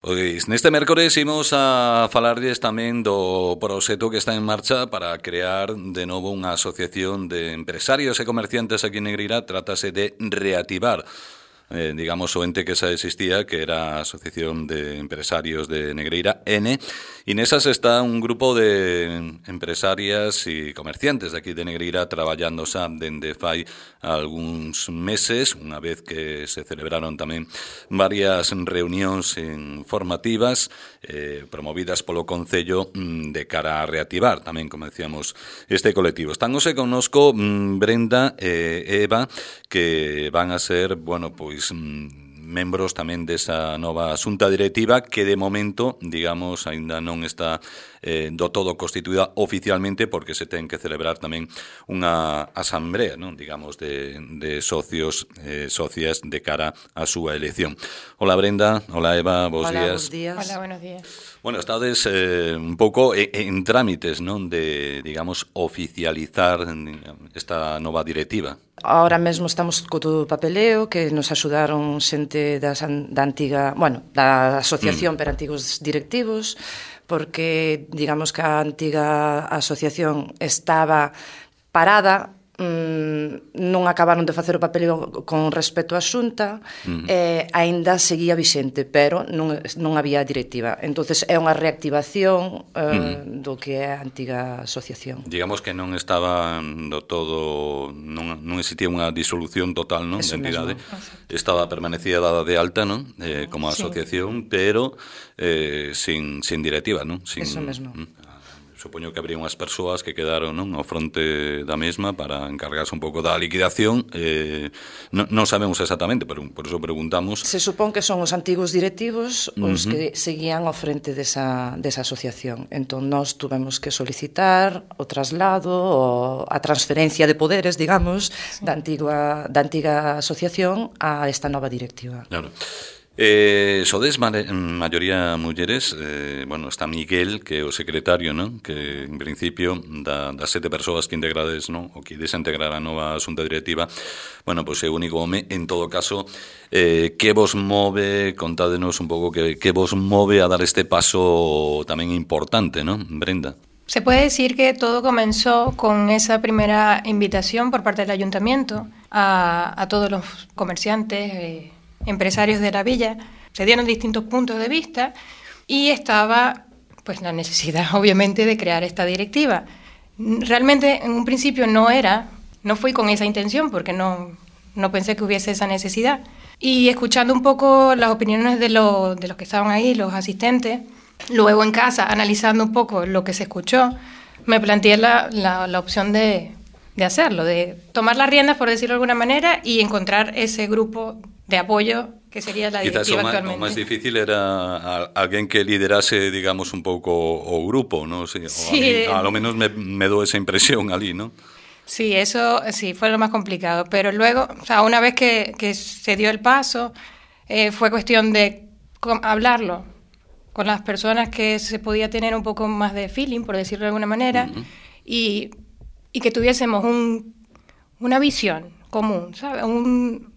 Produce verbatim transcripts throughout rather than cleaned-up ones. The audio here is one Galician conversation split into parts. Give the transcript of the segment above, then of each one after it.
Pois neste mércores imos a falarlles tamén do proxecto que está en marcha para crear de novo unha asociación de empresarios e comerciantes aquí en Negreira. Trátase de reactivar Eh, digamos, o ente que xa existía, que era a Asociación de Empresarios de Negreira, N, e nesas está un grupo de empresarias e comerciantes de aquí de Negreira traballando xa dende fai algúns meses, unha vez que se celebraron tamén varias reunións informativas eh, promovidas polo Concello de cara a reactivar tamén, como decíamos, este colectivo. Están hoxe connosco Brenda e Eva, que van a ser, bueno, pois membros tamén desa nova xunta directiva que de momento, digamos, aínda non está eh, do todo constituída oficialmente, porque se ten que celebrar tamén unha asamblea, non, digamos, de, de socios eh, socias de cara á súa elección. Hola Brenda, hola Eva, bons hola, días. Hola, días. Hola, buenos días. Bueno, estades eh, un pouco en, en trámites, non, de, digamos, oficializar esta nova directiva. Ahora mesmo estamos co todo o papeleo que nos axudaron xente das, da antiga, bueno, da asociación mm. per antigos directivos, porque digamos que a antiga asociación estaba parada, mmm, non acabaron de facer o papeleo con respecto á xunta, mm. e aínda seguía vixente, pero non, non había directiva. Entonces é unha reactivación eh, mm. do que é a antiga asociación. Digamos que non estaba do todo, non, non existía unha disolución total, non, de entidade. Mesmo. Estaba permanecida dada de alta, non, eh, como asociación, sí. pero eh, sin, sin directiva, non? Sin, Eso mesmo. Mm. Supoño que habría unhas persoas que quedaron, non, ao fronte da mesma para encargarse un pouco da liquidación. Eh, non, non sabemos exactamente, pero por eso preguntamos. Se supón que son os antigos directivos os uh-huh. que seguían ao frente desa, desa asociación. Entón, nós tuvemos que solicitar o traslado, o a transferencia de poderes, digamos, sí. da, antigua, da antiga asociación a esta nova directiva. Claro. Eh, sodes maioría mulleres, eh, bueno, está Miguel, que é o secretario, non? Que en principio da, das sete persoas que integrades, non? O que desintegrar a nova xunta directiva, bueno, pois é o único home. En todo caso, eh, que vos move, contádenos un pouco que, que vos move a dar este paso tamén importante, non, Brenda? Se puede decir que todo comenzó con esa primera invitación por parte del ayuntamiento a, a todos los comerciantes, eh, empresarios de la villa. Se dieron distintos puntos de vista y estaba pues la necesidad obviamente de crear esta directiva. Realmente en un principio no era, no fui con esa intención porque no, no pensé que hubiese esa necesidad. Y escuchando un poco las opiniones de, lo, de los que estaban ahí, los asistentes, luego en casa analizando un poco lo que se escuchó, me planteé la, la, la opción de, de hacerlo, de tomar las riendas, por decirlo de alguna manera, y encontrar ese grupo de apoyo que sería la directiva actualmente. Quizás o máis difícil era a, alguén que liderase, digamos, un pouco o grupo, ¿no? Sí, sí, a, mí, a lo menos me, me do esa impresión ali, ¿no? Sí, eso sí, fue lo más complicado. Pero luego, o sea, una vez que, que se dio el paso, eh, fue cuestión de hablarlo con las personas que se podía tener un poco más de feeling, por decirlo de alguna manera, uh-huh. y, y que tuviésemos un, una visión común, ¿sabes? Un...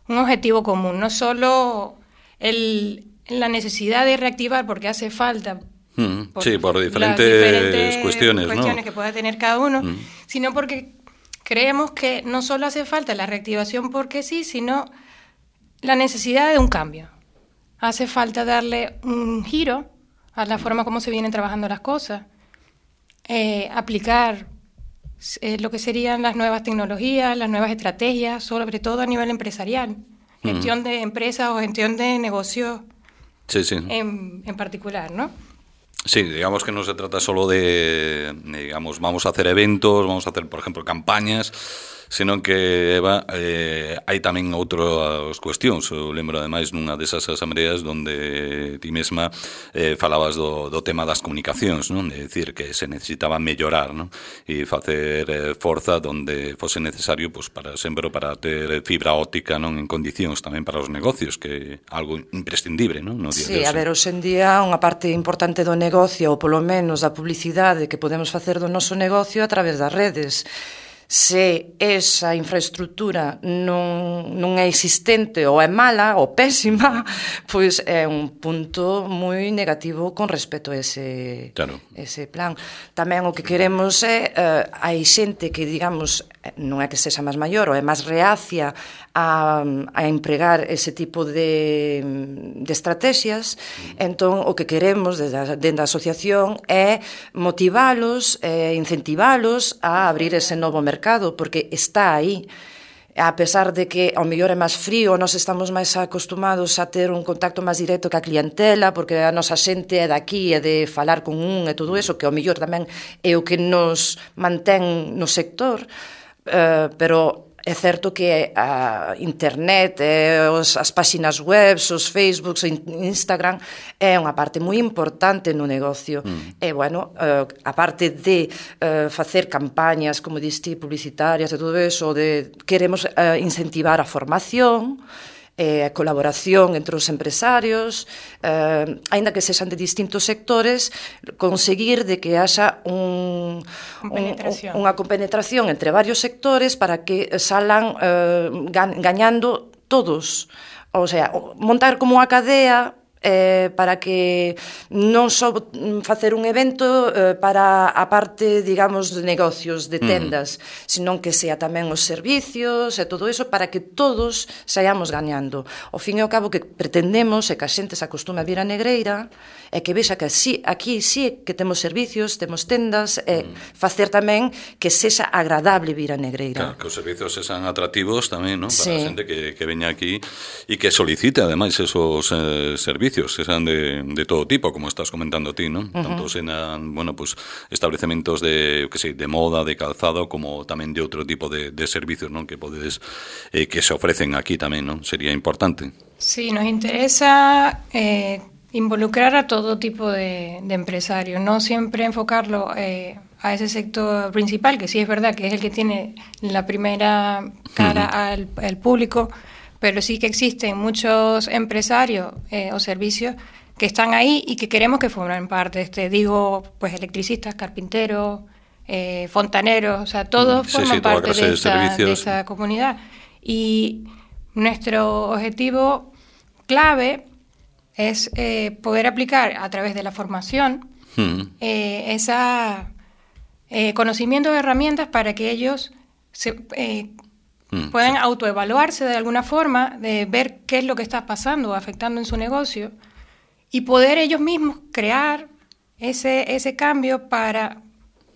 un objetivo común, no solo el, la necesidad de reactivar porque hace falta mm, por, sí, por diferentes, diferentes cuestiones, cuestiones ¿no? que pueda tener cada uno, mm. sino porque creemos que no solo hace falta la reactivación porque sí, sino la necesidad de un cambio. Hace falta darle un giro a la forma como se vienen trabajando las cosas, eh, aplicar Eh, lo que serían las nuevas tecnologías, las nuevas estrategias, sobre todo a nivel empresarial, gestión uh-huh. de empresas o gestión de negocios sí, sí. En, en particular, ¿no? Sí, digamos que no se trata solo de, digamos, vamos a hacer eventos, vamos a hacer, por ejemplo, campañas, senón que, Eva, eh, hai tamén outras cuestións. Eu lembro, ademais, nunha desas asambleas donde ti mesma eh, falabas do, do tema das comunicacións, non? De decir que se necesitaba mellorar, non? E facer eh, forza donde fose necesario, pues, para sempre para ter fibra óptica, non, en condicións tamén para os negocios, que é algo imprescindible, non? No día sí, a ver, hoxe en día unha parte importante do negocio, ou polo menos da publicidade que podemos facer do noso negocio a través das redes. Se esa infraestructura non, non é existente ou é mala ou pésima, pois é un punto moi negativo con respecto a ese, claro. ese plan. Tamén o que queremos é, uh, hai xente que, digamos, non é que sexa máis maior ou é máis reacia a, a empregar ese tipo de, de estrategias, entón o que queremos desde a, desde a asociación é motivalos, é incentivalos a abrir ese novo mercado, porque está aí. A pesar de que ao mellor é máis frío, nós estamos máis acostumados a ter un contacto máis directo ca clientela, porque a nosa xente é daqui, é de falar con un e todo eso, que ao mellor tamén é o que nos mantén no sector, uh, pero é certo que a internet, os, as páxinas web, os Facebooks, o Instagram é unha parte moi importante no negocio. Mm. E, bueno, uh, a parte de uh, facer campañas, como diste, publicitarias e todo eso, de, queremos uh, incentivar a formación, eh, a colaboración entre os empresarios, eh, aínda que sexan de distintos sectores, conseguir de que haxa un, un, unha compenetración entre varios sectores para que salan eh, gañando todos. O sea, montar como unha cadea eh, para que non só facer un evento eh, para a parte, digamos, de negocios, de tendas, mm. senón que sea tamén os servicios e todo eso para que todos saíamos gañando. Ao fin e ao cabo que pretendemos é que a xente se acostume a vir a Negreira e que vexa que así, aquí sí que temos servicios, temos tendas e mm. facer tamén que sexa agradable vir a Negreira. Claro, que os servicios sexan atractivos tamén, ¿no? Para sí. a xente que, que veña aquí e que solicite ademais esos eh, servicios que sean de, de todo tipo, como estás comentando ti, ¿no? Uh-huh. Tanto sean, bueno, pues establecimientos de, que sei, de moda, de calzado, como tamén de outro tipo de, de servicios, ¿no? Que podedes, eh, que se ofrecen aquí tamén, ¿no? Sería importante. Sí, nos interesa eh, involucrar a todo tipo de, de empresarios, no siempre enfocarlo eh, a ese sector principal, que sí es verdad que es el que tiene la primera cara uh-huh. al, al público, pero sí que existen muchos empresarios eh, o servicios que están ahí y que queremos que formen parte. Este, digo, pues electricistas, carpinteros, eh, fontaneros, o sea, todos sí, forman sí, parte de esa, de esa comunidad. Y nuestro objetivo clave es eh, poder aplicar a través de la formación hmm. eh, esa eh, conocimiento de herramientas para que ellos se eh, Mm, pueden sí. autoevaluarse de alguna forma, de ver qué es lo que está pasando o afectando en su negocio y poder ellos mismos crear ese, ese cambio para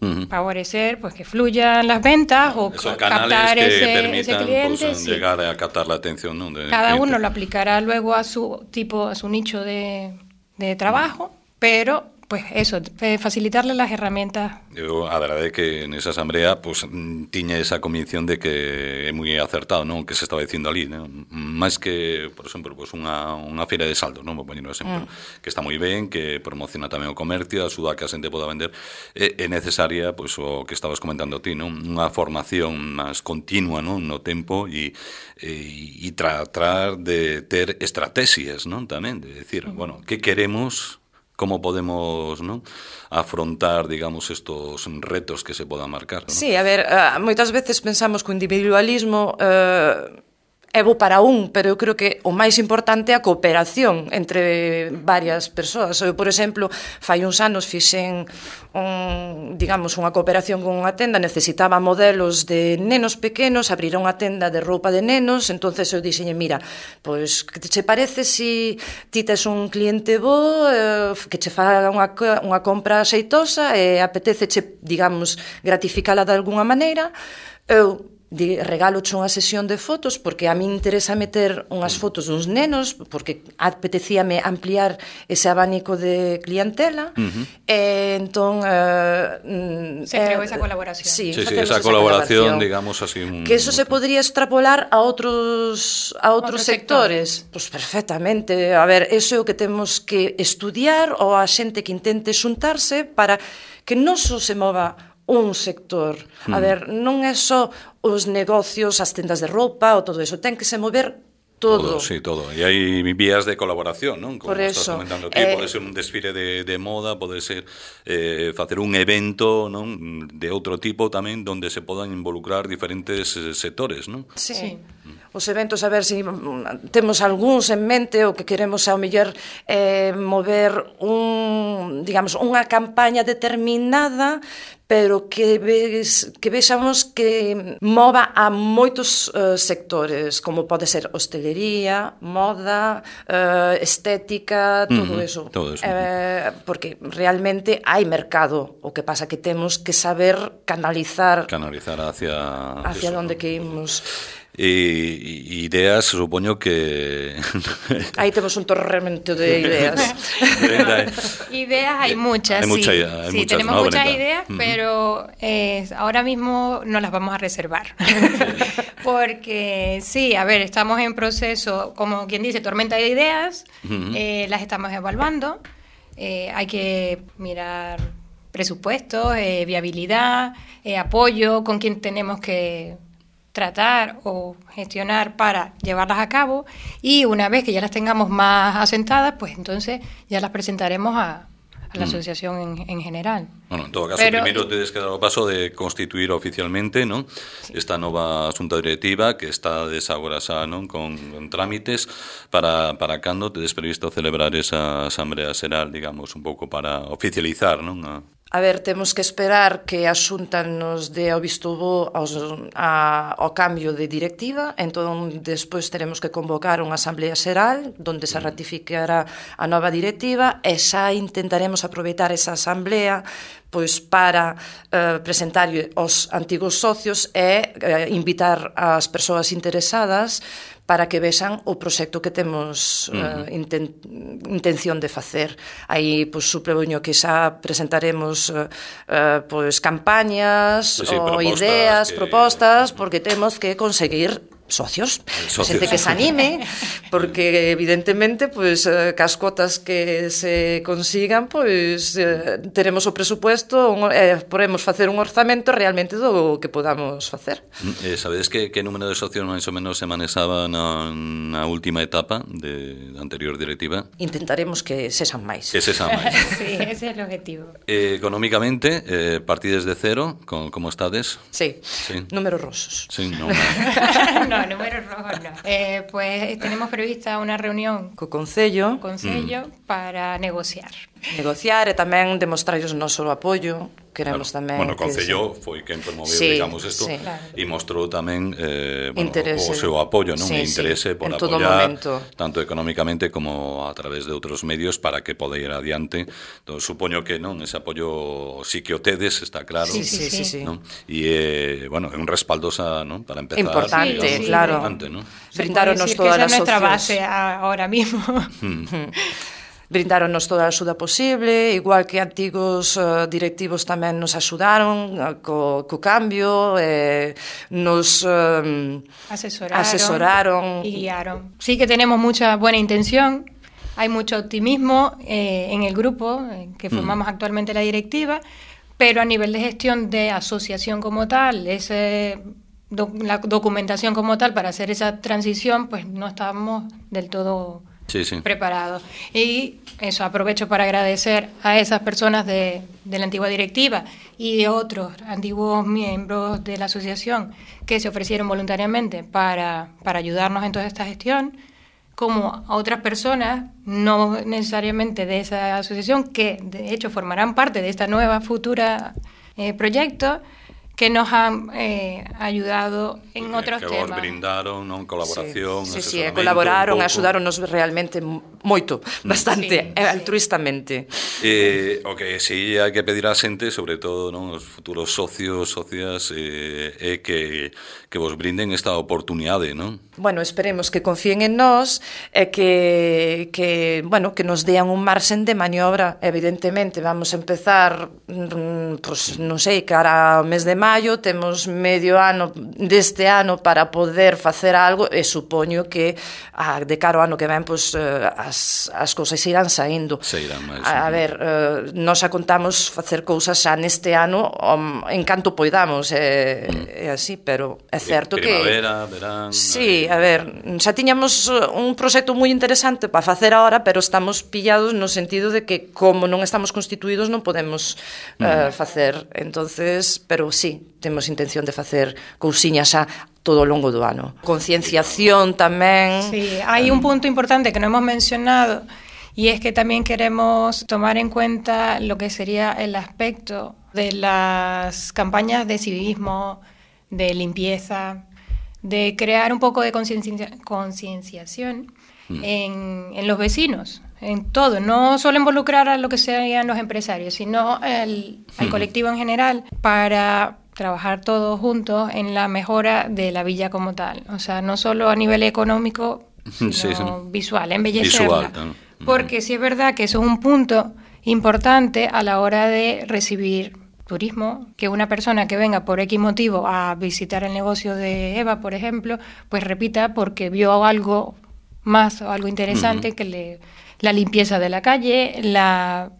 uh-huh. favorecer pues que fluyan las ventas o esos captar que ese, permitan, ese cliente. Pues, sí. llegar a captar la atención, ¿no? de Cada cliente. uno lo aplicará luego a su tipo, a su nicho de, de trabajo, uh-huh. pero pues eso, facilitarle las herramientas. Eu, a verdade é que nesa asamblea pues, tiña esa convicción de que é moi acertado, non, que se estaba dicindo ali, non? Máis que, por exemplo, pues, unha, unha feira de saldo, non, vou poñer un exemplo, mm. que está moi ben, que promociona tamén o comercio, axuda a que a xente poda vender, é, é necesaria, pues, o que estabas comentando ti, non, unha formación máis continua, non, no tempo e, e, e tratar de ter estrategias, non, tamén, de decir, mm. bueno, que queremos, como podemos, ¿no?, afrontar, digamos, estos retos que se podan marcar, ¿no? Sí, a ver, uh, moitas veces pensamos que o individualismo uh, é bo para un, pero eu creo que o máis importante é a cooperación entre varias persoas. Eu, por exemplo, fai uns anos fixen un, digamos, unha cooperación con unha tenda, necesitaba modelos de nenos pequenos, abrir unha tenda de roupa de nenos, entonces eu dixenlle, mira, pois, que te parece se ti tes un cliente bo, eh, que che faga unha, unha compra xeitosa e apeteceche, digamos, gratificala de alguna maneira, eu de regaloche unha sesión de fotos porque a mí interesa meter unhas fotos duns nenos porque apetecíame ampliar ese abanico de clientela uh-huh. e entón eh, se creou eh, esa colaboración sí, sí, sí, esa, esa colaboración, colaboración digamos así un... que eso se podría extrapolar a outros a outros sectores pois pues perfectamente, a ver, eso é o que temos que estudiar ou a xente que intente xuntarse para que non só se mova un sector. A ver, non é só os negocios, as tendas de roupa ou todo eso, ten que se mover todo. Todo, sí, todo. E hai vías de colaboración, non? Como Por estás eso, comentando ti, eh, pode ser un desfile de, de moda, pode ser eh, facer un evento, non? De outro tipo tamén, donde se podan involucrar diferentes eh, sectores, non? Sí. Sí. Os eventos, a ver se si temos algúns en mente o que queremos ao mellor eh, mover un, digamos, unha campaña determinada, pero que ves, que vexamos que mova a moitos uh, sectores, como pode ser hostelería, moda, uh, estética, todo Uh-huh, eso. todo eso. Eh, porque realmente hai mercado, o que pasa que temos que saber canalizar Canalizar hacia... hacia eso, onde ¿no? que imos. E, e ideas, supoño que... Aí temos un torremento de ideas. Brenda, Ideas hay muchas, hay mucha- sí. hay Sí, muchas, tenemos ¿no, muchas Brenda? ideas, Ujú. pero eh, ahora mismo no las vamos a reservar. Porque sí, a ver, estamos en proceso, como quien dice, tormenta de ideas, Ujú. eh, las estamos evaluando, eh, hay que mirar presupuestos, eh, viabilidad, eh, apoyo, con quién tenemos que tratar o gestionar para llevarlas a cabo, y una vez que ya las tengamos más asentadas, pues entonces ya las presentaremos a, a la Mm. asociación en, en general. Bueno, en todo caso, Pero- primeiro tedes que dar o paso de constituir oficialmente, non? Esta nova xunta directiva que está desagora xa, non? Con, con trámites para, para cando tedes previsto celebrar esa asamblea xeral, digamos, un pouco para oficializar, non? A... A ver, temos que esperar que a Xunta nos dé o visto bo aos, a, ao cambio de directiva, entón despois teremos que convocar unha asamblea xeral onde se ratificará a nova directiva e xa intentaremos aproveitar esa asamblea pois para eh, presentar aos antigos socios e eh, invitar as persoas interesadas para que vexan o proxecto que temos uh, inten intención de facer. Aí, pois, supoño que xa presentaremos uh, uh, pois, campañas Sí, sí, ou propostas ideas, que- propostas, porque temos que conseguir socios, Socios. xente que se anime, porque evidentemente pois eh, cas cotas que se consigan, pois eh, teremos o presupuesto, un, eh, podemos facer un orzamento realmente do que podamos facer. Eh, sabedes que, que número de socios máis ou menos se manexaba na, na última etapa de, da anterior directiva? Intentaremos que sexan máis. Que se xa máis. Sí, ese es el objetivo. Eh, económicamente, eh, partides de cero, con, como estades? Sí, Sí. números rosos. Sí, non. No, números rojos no. Eh, pues tenemos prevista una reunión Co Concello, con sello para negociar. negociar e tamén demostrarles o noso apoio. Queremos Claro. tamén Bueno, o que Concello foi quen promoveu, Sí, digamos, isto sí. Claro. e mostrou tamén eh, bueno, Interese. o seu apoio, non? Sí, E interese sí, por en todo apoiar momento. tanto económicamente como a través de outros medios para que poda ir adiante. Entón, supoño que non, ese apoio sí que o tedes, está claro. Sí, sí, sí, sí. ¿no? E, eh, bueno, é un respaldo xa, ¿no? Para empezar. Importante, digamos, claro. importante, ¿no? Brindáronos Se todas puede decir que esa as es nuestra opcións. base a- ahora mismo. Brindáronos toda a axuda posible, igual que antigos uh, directivos tamén nos axudaron uh, co, co cambio, eh, nos um, Asesoraron, asesoraron. y guiaron. Sí que tenemos mucha buena intención, hay mucho optimismo eh, en el grupo eh, que formamos actualmente la directiva, pero a nivel de gestión de asociación como tal, ese, doc- la documentación como tal para hacer esa transición, pues no estábamos del todo Sí, sí. preparados. Y eso, aprovecho para agradecer a esas personas de, de la antigua directiva y otros antiguos miembros de la asociación que se ofrecieron voluntariamente para, para ayudarnos en toda esta gestión, como a otras personas, no necesariamente de esa asociación, que de hecho formarán parte de esta nueva futura eh, proyecto, que nos han eh, ayudado en Que- otros que temas. vos brindaron, non? Colaboración, Sí, sí, sí, asesoramento, colaboraron, un pouco. axudaronos realmente moito, bastante, Sí, e sí. altruistamente. Eh, o que sí hai que pedir á xente, sobre todo, non, os futuros socios, socias, eh, é que, que vos brinden esta oportunidade, non? Bueno, esperemos que confíen en nós e que, que, bueno, que nos dean un marxen de maniobra. Evidentemente, vamos a empezar, mm, pues, non sei, cara ao mes de maio, temos medio ano deste ano para poder facer algo e supoño que a, de cara ao ano que ven pois, as, as cousas irán saindo. Se irán máis. A, a ver, uh, nós a contamos facer cousas xa neste ano um, en canto poidamos, é, mm. é así, pero é certo Primavera, que... verán... Sí, a ver, xa tiñamos un proxecto moi interesante para facer ahora, pero estamos pillados no sentido de que como non estamos constituídos non podemos mm. uh, facer, entonces, pero sí, temos intención de facer cousiñas xa todo o longo do ano. Concienciación tamén. Sí, hai un punto importante que no hemos mencionado y es que también queremos tomar en cuenta lo que sería el aspecto de las campañas de civismo, de limpieza, de crear un poco de conciencia, concienciación mm. en, en los vecinos, en todo, no solo involucrar a lo que serían los empresarios, sino el, al colectivo en general, para trabajar todos juntos en la mejora de la villa como tal. O sea, no solo a nivel económico, sino sí, sí. visual, embellecerla. Visual, ¿no? Porque sí es verdad que eso es un punto importante a la hora de recibir turismo, que una persona que venga por X motivo a visitar el negocio de Eva, por ejemplo, pues repita porque vio algo más o algo interesante uh-huh. que le, la limpieza de la calle, la,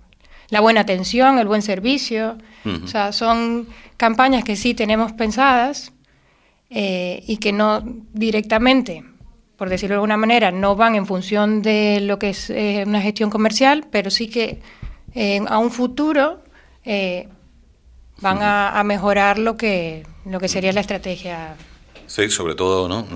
la buena atención, el buen servicio. Uh-huh. O sea, son campañas que sí tenemos pensadas eh, y que no directamente, por decirlo de alguna manera, no van en función de lo que es eh, una gestión comercial, pero sí que eh, a un futuro eh, van a, a mejorar lo que, lo que sería la estrategia. Sí, sobre todo, ¿no?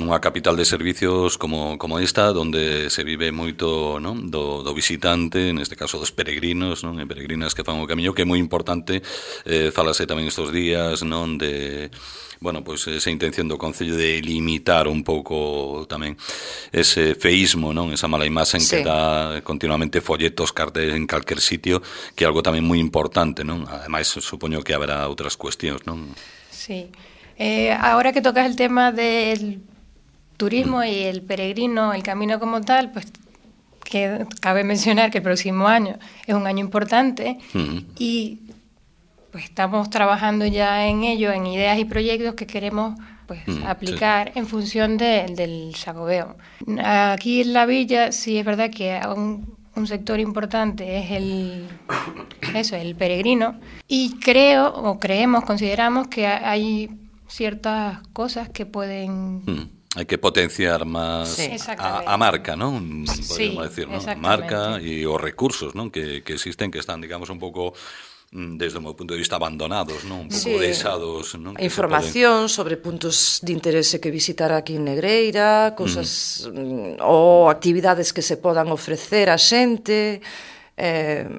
Unha capital de servicios como, como esta, donde se vive moito, ¿no? do, do visitante, neste caso dos peregrinos, ¿no? E peregrinas que fan o camiño, que é moi importante, eh, falase tamén estes días, non? De, bueno, pois pues esa intención do Concello de limitar un pouco tamén ese feísmo, non? Esa mala imaxe sí. que dá continuamente folletos, carteles en calquer sitio, que é algo tamén moi importante, non? Ademais, supoño que haberá outras cuestións, non? Sí. Eh, ahora que tocas el tema del turismo mm. y el peregrino, el camino como tal, pues que cabe mencionar que el próximo año es un año importante mm. y pues estamos trabajando ya en ello, en ideas y proyectos que queremos pues mm, aplicar sí. en función de, del Xacobeo. Aquí en la villa sí es verdad que un, un sector importante es el eso, el peregrino, y creo o creemos, consideramos que hay ciertas cosas que pueden... Mm. Hay que potenciar más sí. a, a marca, ¿no? Podríamos sí, decir, ¿no? Marca y os recursos, ¿no? Que, que existen, que están, digamos, un poco, desde o meu punto de vista, abandonados, ¿no? Un pouco sí. deixados, ¿no? Información poden... sobre puntos de interese que visitar aquí en Negreira, cosas mm. ou actividades que se podan ofrecer a xente... Eh,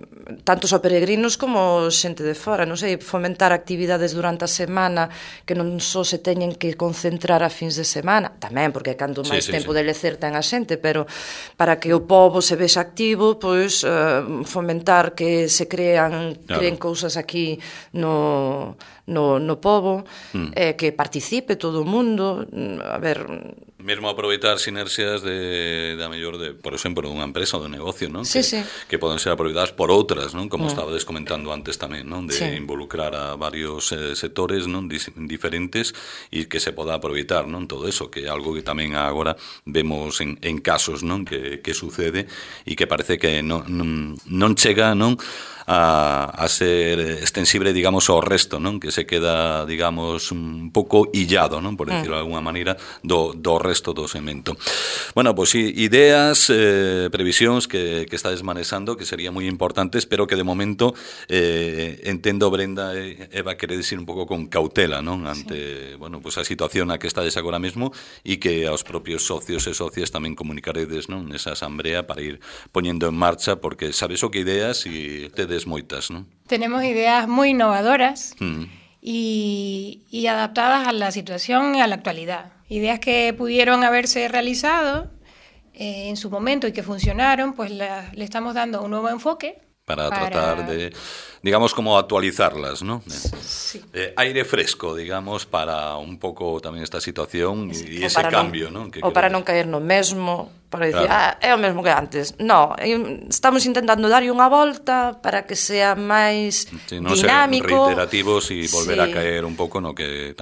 tantos a peregrinos como xente de fora, non sei, fomentar actividades durante a semana que non só se teñen que concentrar a fins de semana, tamén porque cando máis sí, sí, tempo sí. de lecer ten a xente, pero para que o pobo se vexa activo, pois eh, fomentar que se crean claro. creen cousas aquí no, no, no pobo, mm. eh, que participe todo o mundo, a ver... Mesmo aproveitar sinerxias de, da mellor de, por exemplo, unha empresa ou de negocio, non? Sí, que, sí. que poden ser aproveitadas por outras, non? Como mm. estabades comentando antes tamén, non? De sí. involucrar a varios eh, sectores, non? Dis, diferentes e que se poda aproveitar, non? Todo eso, que é algo que tamén agora vemos en, en casos, non? Que, que sucede e que parece que non, non, non chega, non? A, a ser extensible, digamos, ao resto, non? Que se queda, digamos, un pouco illado, non? Por decirlo mm. de alguna maneira, do, do resto do segmento. Bueno, pois pues, ideas, eh, previsións que, que estades manexando, que serían moi importantes, pero que de momento eh, entendo, Brenda e Eva, queredes ir un pouco con cautela, non? Ante, sí. bueno, pues a situación a que estades agora mesmo e que aos propios socios e socias tamén comunicaredes, non? Nesa asamblea para ir poñendo en marcha, porque sabes o que ideas e tedes moitas, non? Tenemos ideas muy innovadoras mm. y, y adaptadas a la situación y a la actualidad. Ideas que pudieron haberse realizado eh, en su momento y que funcionaron, pues la, le estamos dando un nuevo enfoque. Para, para tratar de, digamos, como actualizarlas, ¿no? Sí. Eh, aire fresco, digamos, para un pouco tamén esta situación e sí. ese cambio, non? Que o para non caer no mesmo, para dicir, claro. ah, é o mesmo que antes. No, estamos intentando darlle unha volta para que sea máis sí, no dinámico. Ser reiterativos e volver sí. a caer un pouco no que...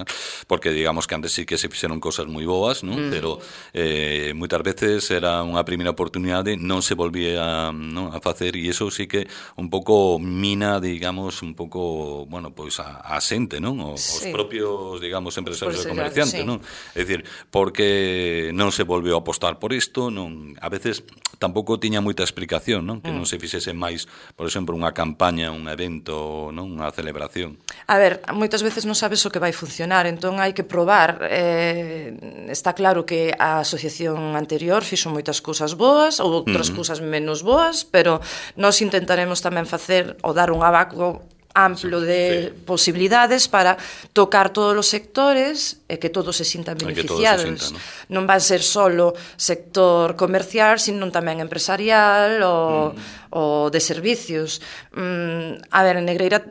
Porque digamos que antes sí que se fixeron cosas moi boas, ¿no? Mm. Pero eh, moitas veces era unha primeira oportunidade, non se volvía ¿no? a facer, e iso sí que un pouco mina, digamos, un pouco, bueno, pois a, a xente, non? O, sí. Os propios, digamos, empresarios e comerciantes, sí. non? É dicir, porque non se volveu a apostar por isto, non, a veces tampouco tiña moita explicación, non? Que non se fixese máis, por exemplo, unha campaña, un evento, non? Unha celebración. A ver, moitas veces non sabes o que vai funcionar, entón hai que probar. Eh, está claro que a asociación anterior fixo moitas cousas boas, ou outras uh-huh. cousas menos boas, pero nós intentaremos tamén facer ou dar un abaco amplo de sí. posibilidades para tocar todos os sectores e que todos se sintan beneficiados. Se sinta, ¿no? Non van ser solo sector comercial, sino tamén empresarial ou, mm. ou de servicios. Mm, a ver, en Negreira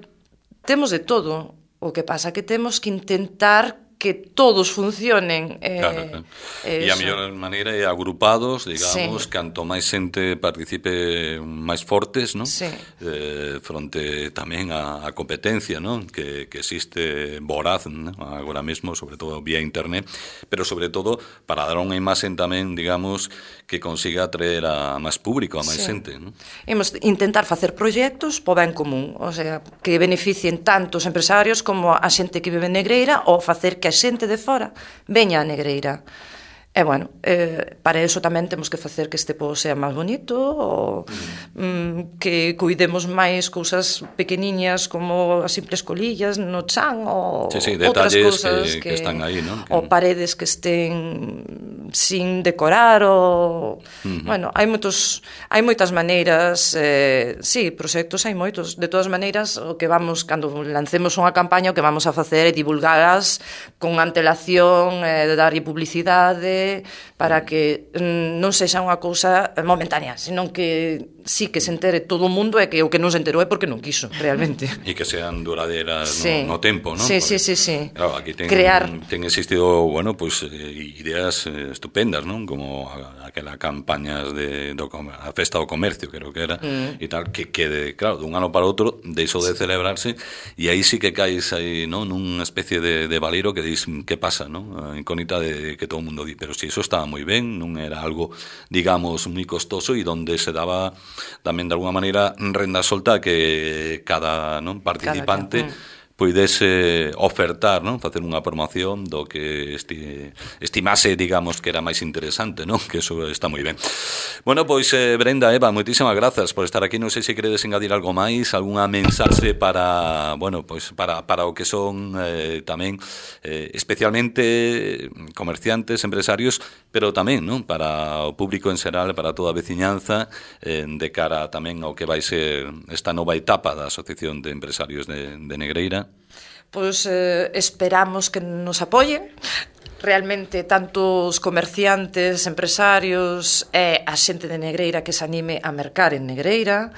temos de todo. O que pasa que temos que intentar que todos funcionen. Eh, claro, claro. E a mellor maneira é agrupados, digamos, sí. canto máis xente participe máis fortes, non? Sí. Eh, fronte tamén a, a competencia, non? Que, que existe voraz, non? Agora mesmo, sobre todo vía internet, pero sobre todo para dar unha imaxen tamén, digamos, que consiga atraer a máis público, a máis sí. xente, non? Imos intentar facer proxectos po ben común, o sea, que beneficien tanto os empresarios como a xente que vive en Negreira, ou facer que a xente de fora veña a Negreira. E, bueno, eh, para iso tamén temos que facer que este pobo sea máis bonito, ou mm, que cuidemos máis cousas pequeniñas como as simples colillas no chan, ou sí, sí, outras cousas que, que, que están aí, ¿no? Ou paredes que estén sin decorar, ou... Uh-huh. Bueno, hai moitos, hai moitas maneiras, eh, sí, proxectos hai moitos. De todas maneiras, o que vamos, cando lancemos unha campaña, o que vamos a facer é divulgalas con antelación, eh, de darlle publicidade, para que mm, non sexa unha cousa momentánea, senón que sí que se entere todo o mundo, e que o que non se enterou é porque non quiso, realmente. E que sean duradeiras sí. no, no tempo, non? Sí, sí, sí, sí. Claro, aquí ten, crear ten existido, bueno, pues, eh, ideas eh, estupendas, non? Como a, aquela campañas de do, a festa do comercio, creo que era, mm. e tal, que, que de, claro, dun ano para outro deixou de celebrarse, e aí sí que caes aí, non? Nunha especie de, de valero que dis, que pasa, non? A incógnita de que todo o mundo di, pero si eso estaba moi ben, non era algo, digamos, moi costoso, e donde se daba tamén de alguna maneira renda solta que cada non participante cada, mm. poidese ofertar, non? Facer unha promoción do que esti, estimase, digamos, que era máis interesante, non? Que eso está moi ben. Bueno, pois, eh, Brenda, Eva, moitísimas grazas por estar aquí. Non sei se queredes engadir algo máis, algunha mensaxe para, bueno, pois para, para o que son eh, tamén eh, especialmente comerciantes, empresarios, pero tamén, non? Para o público en xeral, para toda a veciñanza, eh, de cara tamén ao que vai ser esta nova etapa da Asociación de Empresarios de, de Negreira. Pois eh, esperamos que nos apoyen realmente tanto os comerciantes, empresarios e a xente de Negreira que se anime a mercar en Negreira.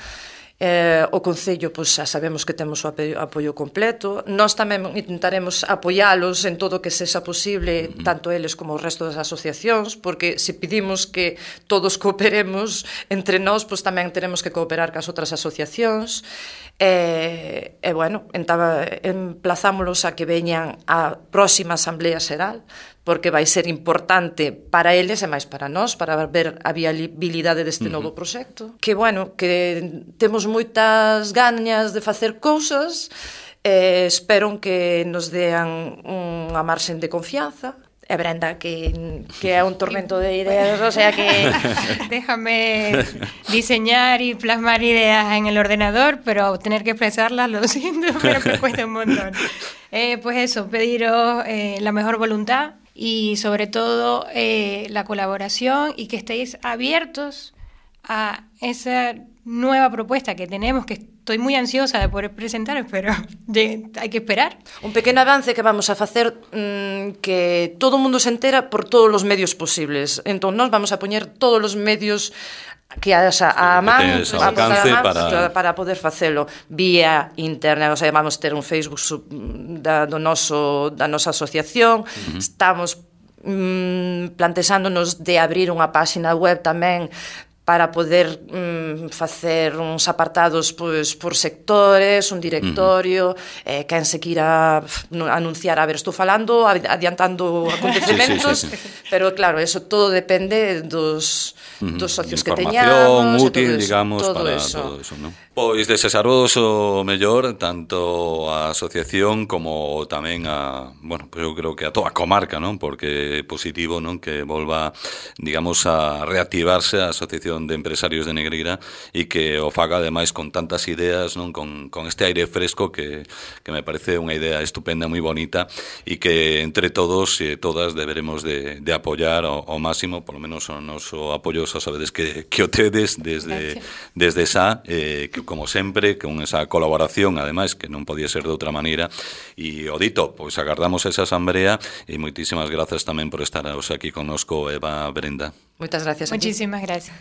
Eh, o Concello, pois, xa sabemos que temos o apoio, apoio completo. Nós tamén intentaremos apoialos en todo o que sexa posible, uh-huh. tanto eles como o resto das asociacións, porque se pedimos que todos cooperemos entre nós, pois tamén teremos que cooperar cas outras asociacións. E, e bueno, emplazámolos a que veñan á próxima Asamblea Xeral, porque vai ser importante para eles e máis para nós, para ver a viabilidade deste uh-huh. novo proxecto. Que, bueno, que temos moitas gañas de facer cousas, e espero que nos dean unha marxen de confianza. E Brenda, que, que é un tormento de ideas, o sea que... Déjame diseñar y plasmar ideas en el ordenador, pero tener que expresarlas, lo siento, pero me cuesta un montón. Eh, pues eso, pediros eh, la mejor voluntad y sobre todo eh, la colaboración, y que estéis abiertos a esa nueva propuesta que tenemos, que estoy muy ansiosa de poder presentaros, pero de, hai que esperar. Un pequeno avance que vamos a facer, mmm, que todo o mundo se entera por todos os medios posibles. Entón, nós vamos a poñer todos os medios que haxa a man, a man para... para poder facelo vía internet. O sea, vamos ter un Facebook sub, da, do noso, da nosa asociación. Uh-huh. Estamos mm, plantexándonos de abrir unha páxina web tamén para poder mm, facer uns apartados pois, por sectores, un directorio, uh-huh. eh, quen se quira anunciar, a ver, estou falando, adiantando acontecementos, sí, sí, sí, sí. Pero claro, eso todo depende dos, uh-huh. dos socios que teñamos, útil, todo digamos, todo para eso. todo eso, ¿no? Pois desesaros o mellor tanto a asociación como tamén a, bueno, pues eu creo que a toda a comarca, non? Porque é positivo, non, que volva, digamos, a reactivarse a Asociación de Empresarios de Negreira e que o faga ademais con tantas ideas, non, con, con este aire fresco que, que me parece unha idea estupenda, moi bonita e que entre todos e todas deberemos de, de apoiar ao, ao máximo, por lo menos o noso apoio, xa sabedes que, que o tedes desde, desde esa, eh, que como sempre, con esa colaboración, ademais, que non podía ser de outra maneira. E o dito, pois agardamos esa asamblea e moitísimas grazas tamén por estar aquí connosco, Eva, Brenda. Moitas gracias a ti. Muchísimas gracias.